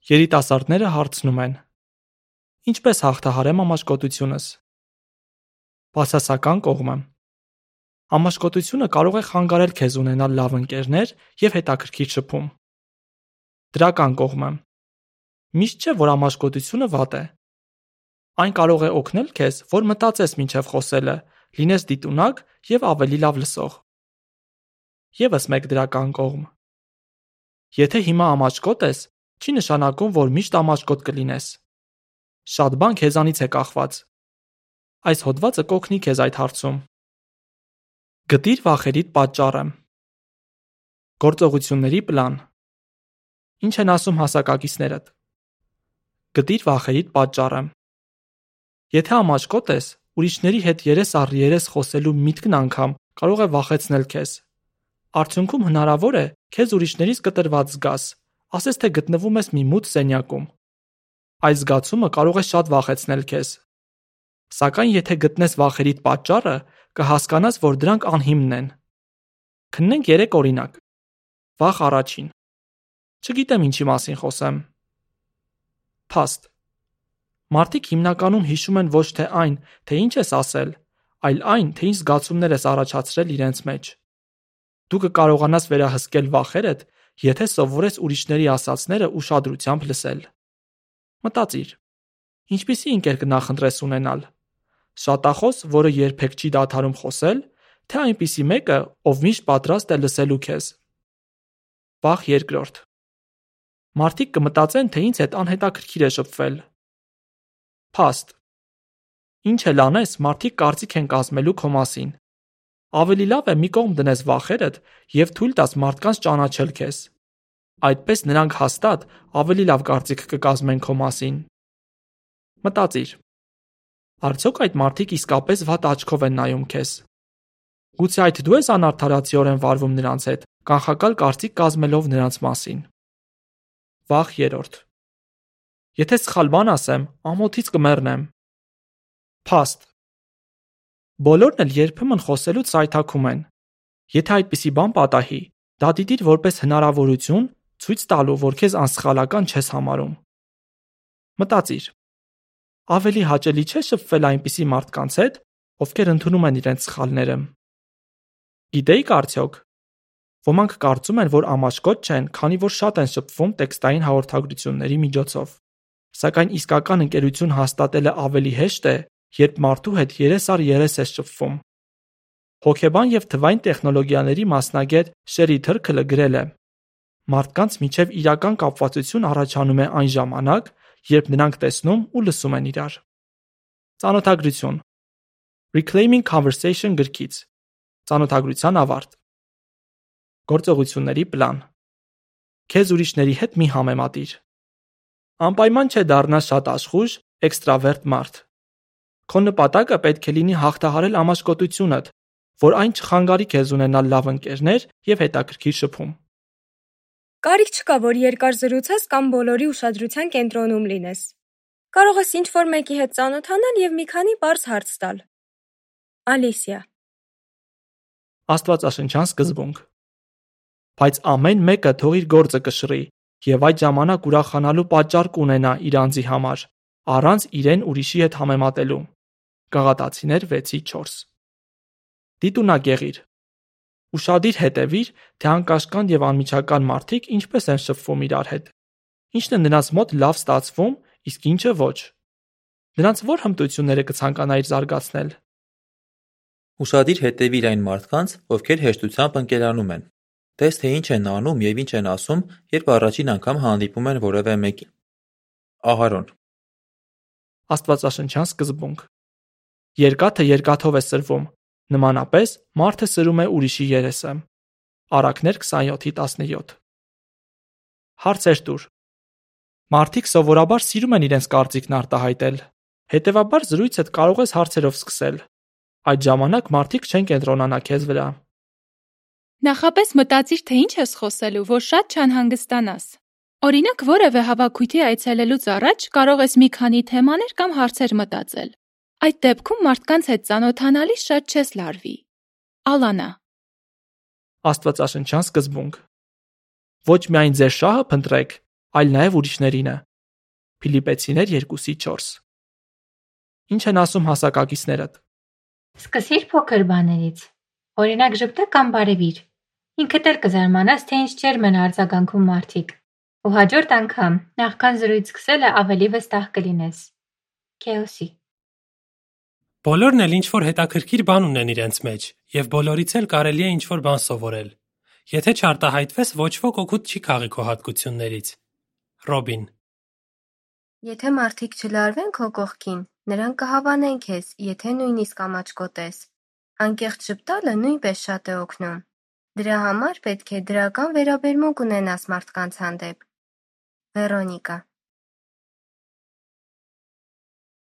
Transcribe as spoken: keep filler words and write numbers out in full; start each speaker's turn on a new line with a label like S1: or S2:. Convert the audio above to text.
S1: Երիտասարդները հարցնում են. ինչպես հաղթահարեմ ամաչկոտությունս։ Բացասական կողմը. ամաչկոտությունը կարող է խանգարել քեզ ունենալ լավ ընկերներ և հետաքրքիր շփում։ Դրական կողմը. միշտ չէ, որ ամաչկոտությունը վատ է։ Այն կարող է օգնել քեզ, որ մտածես մինչև խոսելը, լինես դիտունակ և ավելի լավ լսող։ Եվս մեկ դրական կողմ. եթե հիմա ամաչկոտ ես, չի նշանակում, որ միշտ ամաչկոտ կլինես։ Շատ բան քեզանից է կախված։ Այս հոդվածը կօգնի քեզ այդ հարցում։ Գտիր վախերիդ պատճառը։ Գործողությունների պլան։ Ինչ են ասում հասակակիցներդ։ Գտիր վախերիդ պատճառը։ Եթե ամաչկոտ ես, ուրիշների հետ երես առ երես խոսելու միտքն անգամ կարող է վախեցնել քեզ։ Արդյունքում հնարավոր է քեզ ուրիշներից կտրված զգաս, ասես թե գտնվում ես մի մութ սենյակում։ Այս զգացումը կարող է շատ վախեցնել քեզ։ Սակայն եթե գտնես վախերիդ պատճառը, կհասկանաս, որ դրանք անհիմն են։ Քննենք երեք օրինակ։ Վախ առաջին։ Չգիտեմ ինչի մասին խոսեմ։ Փաստ։ Մարդիկ հիմնականում հիշում են ոչ թե այն, թե ինչ ես ասել, այլ այն, թե ինչ զգացումներ ես առաջացրել իրենց մեջ։ Դու կկարողանաս վերահսկել վախերդ, եթե սովորես ուրիշների ասածները ուշադրությամբ լսել։ Մտածիր. ինչպիսի ընկեր կնախընտրես ունենալ։ Շատախոս, որը երբեք չի դադարում խոսել, թե այնպիսի մեկը, ով միշտ պատրաստ է լսելու քեզ։ Վախ երկրորդ։ Մարդիկ կմտածեն, թե ինձ հետ անհետաքրքիր է շփվել։ Փաստ։ Ինչ էլ անես, մարդիկ կարծիք են կազմելու քո մասին։ Ավելի լավ է մի կողմ դնես վախերդ և թույլ տաս մարդկանց ճանաչել քեզ։ Այդպես նրանք հաստատ ավելի լավ կարծիք կկազմեն քո մասին։ Մտածիր. արդյոք այդ մարդիկ իսկապես վատ աչքով են նայում քեզ։ Գուցե այդ դու ես անարդարացիորեն վարվում նրանց հետ, կանխակալ կարծիք կազմելով նրանց մասին։ Վախ երրորդ. եթե սխալ բան ասեմ, ամոթից կմեռնեմ։ Փաստ։ Բոլորն էլ երբեմն խոսելուց սայթաքում են։ Եթե այդպիսի բան պատահի, դա դիտիր որպես հնարավորություն, ցույց տալու, որ քեզ անսխալական չես համարում։ Մտածիր. ավելի հաճելի չէ շփվել այնպիսի մարդկանց հետ, ովքեր ընդունում են իրենց սխալները։ Գիտեիք արդյոք, ոմանք կարծում են, որ ամաչկոտ չեն, քանի որ շատ են շփվում տեքստային հաղորդագրությունների միջոցով։ Սակայն իսկական ընկերություն հաստատելը ավելի հեշտ է, երբ մարդու հետ երես առ երես ես շփվում։ Հոգեբան և թվային տեխնոլոգիաների մասնագետ Շերի Թրքլը գրել է. մարդկանց միջև իրական կապվածություն առաջանում է այն ժամանակ, երբ նրանք տեսնում ու լսում են իրար։ Ծանոթագրություն։ Reclaiming Conversation գրքից։ Ծանոթագրության ավարտ։ Գործողությունների պլան։ Քեզ ուրիշների հետ մի համեմատիր։ Անպայման չէ դառնաս շատ աշխույժ, էքստրավերտ մարդ։ Քո նպատակը պետք է լինի հաղթահարել ամաչկոտությունդ, որ այն չխանգարի քեզ ունենալ լավ ընկերներ և հետաքրքիր շփում։
S2: Կարիք չկա, որ երկար զրուցես կամ բոլորի ուշադրության կենտրոնում լինես։ Կարող ես ինչ-որ մեկի հետ ծանոթանալ և մի քանի պարզ հարց տալ։ Ալիսիա։
S1: Աստվածաշնչյան սկզբունք։ Բայց ամեն մեկը թող իր գործը կշռի և այդ ժամանակ ուրախանալու պատճառ կունենա իր անձի համար, առանց իրեն ուրիշի հետ համեմատելու։ Գաղատացիներ վեցի չորս։ Դիտունակ եղիր։ Ուշադիր հետևիր, թե անկաշկանդ և անմիջական մարդիկ ինչպես են շփվում իրար հետ։ Ինչն է նրանց մոտ լավ ստացվում, իսկ ինչը ոչ։ Նրանց ո՞ր հմտությունները կցանկանայիր զարգացնել։
S3: Ուշադիր հետևիր այն մարդկանց, ովքեր հեշտությամբ ընկերանում են։ Տես, թե ինչ են անում և ինչ են ասում, երբ առաջին անգամ հանդիպում են որևէ մեկին։ Ահարոն։
S1: Աստվածաշնչյան սկզբունք։ Երկաթը երկաթով է սրվում, նմանապես մարդը սրում է ուրիշի երեսը։ Առակներ քսանյոթի տասնյոթ։ Հարցեր տուր։ Մարդիկ սովորաբար սիրում են իրենց կարծիքն արտահայտել։ Հետևաբար զրույցդ կարող ես հարցերով սկսել։ Այդ ժամանակ մարդիկ չեն կենտրոնանա քեզ վրա։
S4: Նախապես մտածիր, թե ինչ ես խոսելու, որ շատ չանհանգստանաս։ Օրինակ, որևէ հավաքույթի այցելելուց առաջ կարող ես մի քանի թեմաներ կամ հարցեր մտածել։ Այդ դեպքում մարդկանց հետ ծանոթանալիս շատ չես լարվի։ Ալանա։
S1: Աստվածաշնչյան սկզբունք։ Ոչ միայն ձեր շահը փնտրեք, այլ նաև ուրիշներինը։ Փիլիպպեցիներ երկուսի չորս։ Ինչ են ասում հասակակիցներդ։
S5: Սկսիր փոքր բաներից։ Օրինակ ժպտա կամ բարևիր։ Ինքդ էլ կզարմանաս, թե ինչ ջերմ են արձագանքում մարդիկ։ Ու հաջորդ անգամ, նախքան զրույց սկսելը ավելի վստահ կլինես։ Քեոսի։
S6: Բոլորն էլ ինչ-որ հետաքրքիր բան ունեն իրենց մեջ, և բոլորից էլ կարելի է ինչ-որ բան սովորել։ Եթե չարտահայտվես, ոչ ոք օգուտ չի քաղի քո հատկություններից։ Ռոբին։
S7: Եթե մարդիկ չլարվեն քո կողքին, նրանք կհավանեն քեզ, եթե նույնիսկ ամաչկոտես։ Անկեղծ ժպտալը նույնպես շատ է օգնում։ Դրա համար պետք է դրական վերաբերմունք ունենաս մարդկանց հանդեպ։ Վերոնիկա։